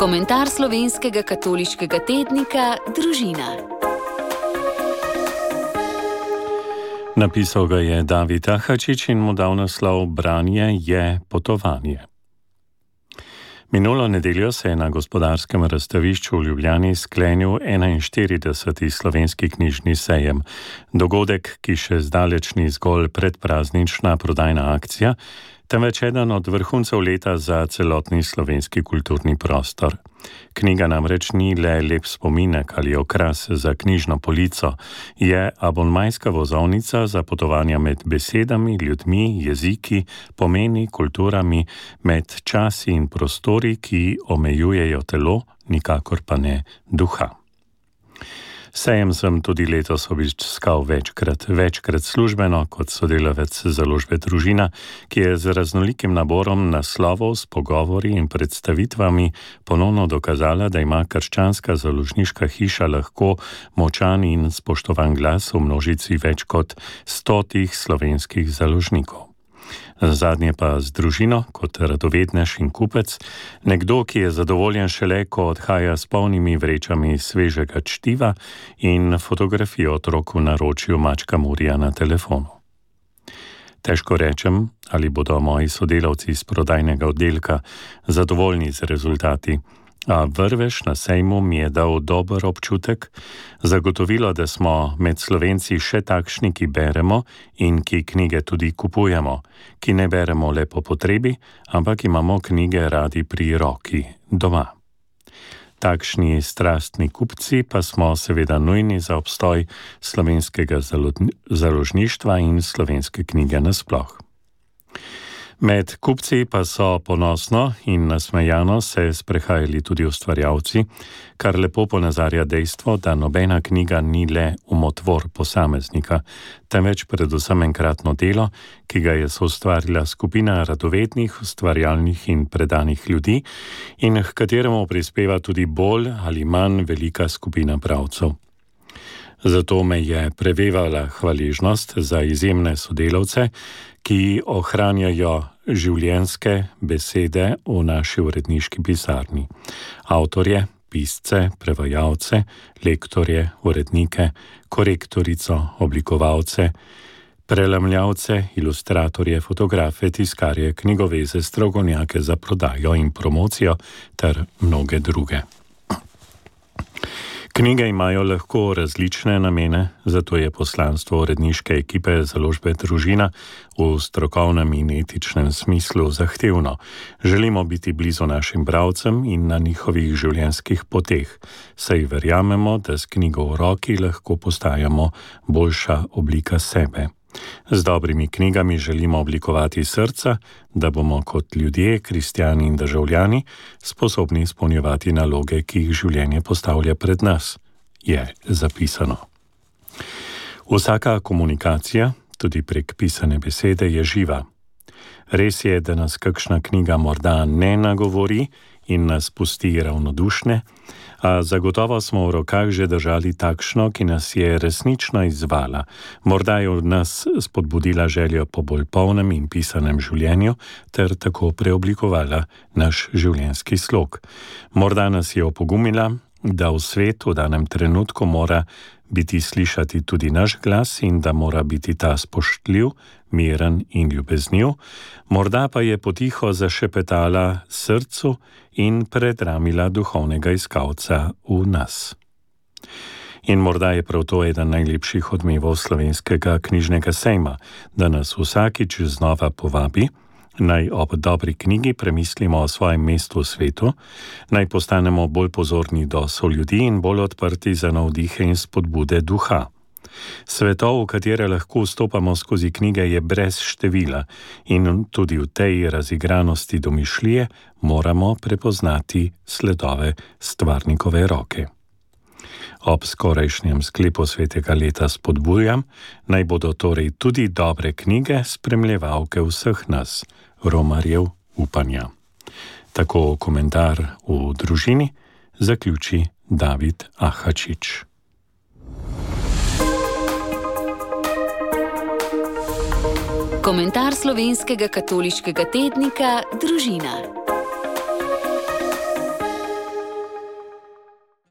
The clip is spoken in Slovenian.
Komentar slovenskega katoliškega tednika Družina. Napisal ga je David Ahačič in mu dal naslov Branje je potovanje. Minulo nedeljo se je na gospodarskem razstavišču v Ljubljani sklenil 41. slovenski knjižni sejem. Dogodek, ki še zdaleč ni zgolj predpraznična prodajna akcija, temveč eden od vrhuncev leta za celotni slovenski kulturni prostor. Knjiga namreč ni le lep spominek ali okras za knjižno polico, je abonmajska vozovnica za potovanja med besedami, ljudmi, jeziki, pomeni, kulturami, med časi in prostori, ki omejujejo telo, nikakor pa ne duha. Sejem sem tudi letos obiskal večkrat službeno kot sodelavec založbe Družina, ki je z raznolikim naborom naslovov s pogovori in predstavitvami ponovno dokazala, da ima krščanska založniška hiša lahko močan in spoštovan glas v množici več kot 100 slovenskih založnikov. Zadnje pa z Družino, kot radovednež in kupec, nekdo, ki je zadovoljen šele, ko odhaja s polnimi vrečami svežega čtiva in fotografijo otrok v naročju mačka Murija na telefonu. Težko rečem, ali bodo moji sodelavci iz prodajnega oddelka zadovoljni z rezultati, a vrvež na sejmu mi je dal dober občutek, zagotovilo, da smo med Slovenci še takšni, ki beremo in ki knjige tudi kupujemo, ki ne beremo le po potrebi, ampak imamo knjige radi pri roki, doma. Takšni strastni kupci pa smo seveda nujni za obstoj slovenskega založništva in slovenske knjige nasploh. Med kupci pa so ponosno in nasmejano se sprehajali tudi ustvarjalci, kar lepo ponazarja dejstvo, da nobena knjiga ni le umotvor posameznika, temveč predvsem enkratno delo, ki ga je soustvarila skupina radovednih, ustvarjalnih in predanih ljudi in h kateremu prispeva tudi bolj ali manj velika skupina bralcev. Zato me je prevevala hvaležnost za izjemne sodelavce, ki ohranjajo življenjske besede v naši uredniški pisarni. Avtorje, pisce, prevajalce, lektorje, urednike, korektorico, oblikovalce, prelamljavce, ilustratorje, fotografe, tiskarje, knjigoveze, strokovnjake za prodajo in promocijo ter mnoge druge. Knjige imajo lahko različne namene, zato je poslanstvo uredniške ekipe založbe Družina v strokovnem in etičnem smislu zahtevno. Želimo biti blizu našim bralcem in na njihovih življenjskih poteh, saj verjamemo, da s knjigo v roki lahko postajamo boljša oblika sebe. Z dobrimi knjigami želimo oblikovati srca, da bomo kot ljudje, kristjani in državljani sposobni izpolnjevati naloge, ki jih življenje postavlja pred nas, je zapisano. Vsaka komunikacija, tudi prek pisane besede, je živa. Res je, da nas kakšna knjiga morda ne nagovori in nas pusti ravnodušne, a zagotovo smo v rokah že držali takšno, ki nas je resnično izzvala. Morda je od nas spodbudila željo po bolj polnem in pisanem življenju ter tako preoblikovala naš življenjski slog. Morda nas je opogumila, da v svetu v danem trenutku mora biti slišati tudi naš glas in da mora biti ta spoštljiv, miren in ljubezniv, morda pa je potiho zašepetala srcu in predramila duhovnega iskalca v nas. In morda je prav to eden najlepših odmevov slovenskega knjižnega sejma, da nas vsakič znova povabi, naj ob dobri knjigi premislimo o svojem mestu v svetu, naj postanemo bolj pozorni do soljudi in bolj odprti za navdihe in spodbude duha. Svetov, v katere lahko vstopamo skozi knjige, je brez števila in tudi v tej razigranosti domišljije moramo prepoznati sledove stvarnikove roke. Ob skorajšnjem sklepu svetega leta spodbujam, naj bodo torej tudi dobre knjige spremljevalke vseh nas, romarjev upanja. Tako komentar v Družini zaključi David Ahačič. Komentar slovenskega katoliškega tednika Družina.